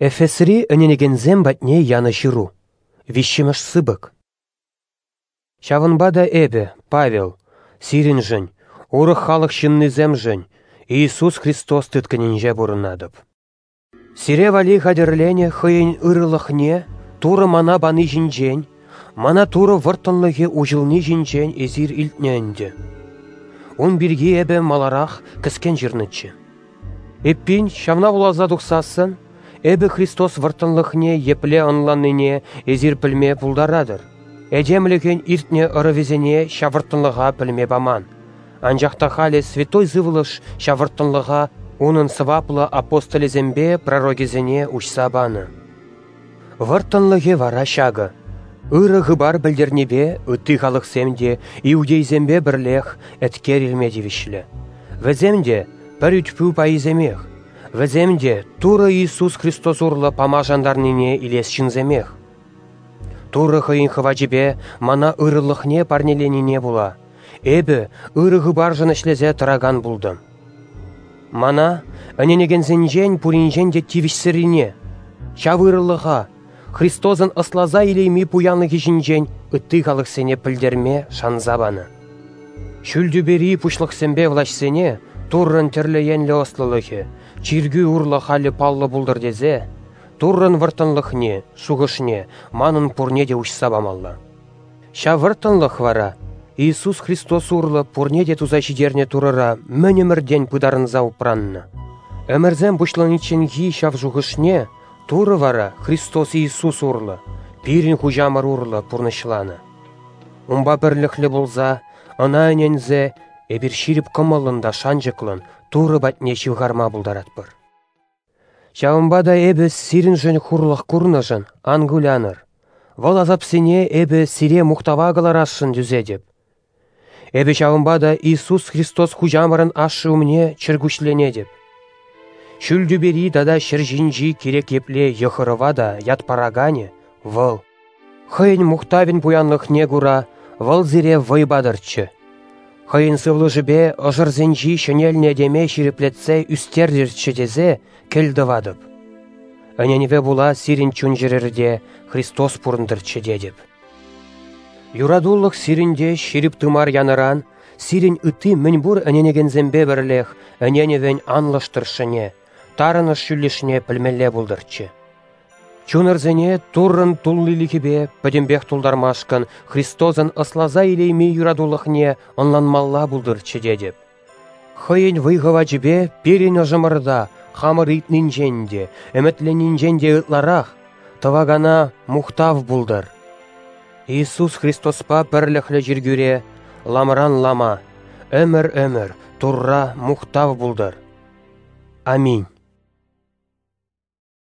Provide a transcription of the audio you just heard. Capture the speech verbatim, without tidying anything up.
Эфесри ӗненекенсем патне янӑ ҫыру, виҫҫӗмӗш сыпӑк. Ҫавӑнпа та эпӗ, Павел, сирӗншӗн, урӑх халӑх ҫыннисемшӗн, Иисус Христос тыткӑнӗнче пурӑнатӑп. Сире валли хатӗрленӗ хӑйӗн ырӑлӑхне Турӑ мана пани ҫинчен, мана Турӑ вӑрттӑнлӑхӗ уҫӑлни ҫинчен эсир илтнӗ ӗнтӗ. Ун пирки эпӗ маларах кӗскен ҫырнӑччӗ. Эппин, ҫавна вуласа тухсассӑн, эпӗ Христос вӑрттӑнлӑхне епле ӑнланнине эсир пӗлме пултаратӑр. Этемлӗхӗн иртнӗ ӑрӑвӗсене ҫав вӑрттӑнлӑха пӗлме паман, анчах та халӗ Святой Сывлӑш ҫав вӑрттӑнлӑха унӑн сӑваплӑ апостолӗсемпе пророкӗсене уҫса панӑ. Вӑрттӑнлӑхӗ вара ҫакӑ: ырӑ хыпар пӗлтернипе ытти халӑхсем те иудейсемпе пӗрлех еткер илме тивӗҫлӗ. Вӗсем те пӗр ӳт-пӳ пайӗсемех, вӗсем те Турӑ Иисус Христос урлӑ пама шантарнине илес ҫынсемех. Турӑ хӑйӗн хӑвачӗпе мана ырӑлӑхне парнеленине пула эпӗ ырӑ хыпаршӑн ӗҫлесе тӑракан пултӑм. Мана, ӗненекенсенчен пуринчен те тивӗҫсӗррине, ҫав ырӑлӑха, Христосӑн ӑсласа илейми пуянлӑхӗ ҫинчен ытти халӑхсене пӗлтерме шанса панӑ. Ҫӳл тӳпери пуҫлӑхсемпе влаҫсене Туррӑн тӗрлӗ енлӗ ӑслӑлӑхӗ, чиркӳ урлӑ халӗ паллӑ пултӑр тесе, Туррӑн вӑрттӑнлӑхне, шухӑшне манӑн пурне те уҫса памалла. Ҫав вӑрттӑнлӑх вара Иисус Христос урлӑ пурне те туса ҫитернӗ Турӑра мӗн ӗмӗртен пытарӑнса упраннӑ. Ӗмӗрсем пуҫланичченхи ҫав шухӑшне Турӑ вара Христос Иисус урлӑ, пирӗн Хуҫамӑр урлӑ пурнӑҫланӑ. Унпа пӗрлӗхлӗ пулса, ӑна ӗненсе, эпир ҫирӗп кӑмӑллӑн та шанчӑклӑн Турӑ патне ҫывхарма пултаратпӑр. Ҫавӑнпа та эпӗ сирӗншӗн хурлӑх курнӑшӑн ан кулянӑр. Вӑл асапсене эпӗ сире мухтава кӑларасшӑн тӳсетӗп. Эпӗ ҫавӑнпа та Иисус Христос Хуҫамӑрӑн Ашшӗ умне чӗркуҫленетӗп. Ҫӳл тӳпери тата ҫӗр ҫинчи кирек епле йӑх-ӑрӑва та ят параканӗ Вӑл. Хӑйӗн мухтавӗн пуянлӑхне кура Вӑл сире вӑй патӑрччӗ. Хӑйӗн сывлӑшӗпе ӑшӑрсенчи ҫӗнелнӗ этеме ҫирӗплетсе ӳстертӗрччӗ тесе кӗл тӑватӑп. Ӗненӗве пула сирӗн чун-чӗрӗрте Христос пурӑнтӑрччӗ тетӗп. Юратулӑх сирӗнте ҫирӗп тымар янӑран сирӗн ытти мӗнпур ӗненекенсемпе пӗрлех ӗненӗвӗн анлӑш тӑршшӗне, тарӑнӑш ҫӳллӗшне пӗлмелле пултӑрччӗ. Чунӑрсене Туррӑн туллилӗхӗпе пӗтӗмпех тултармашкӑн Христосӑн ӑсласа илейми юратулӑхне ӑнланмалла пултӑрччӗ тетӗп. Хӑйӗн вӑй-хӑвачӗпе пирӗн ӑшӑмӑрта хамӑр ыйтнинчен те, ӗмӗтленнинчен те ытларах тӑвакана мухтав пултӑр. Иисус Христоспа пӗрлӗхлӗ чиркӳре ламран лама, ӗмӗр-ӗмӗр Турра мухтав пултӑр. Аминь.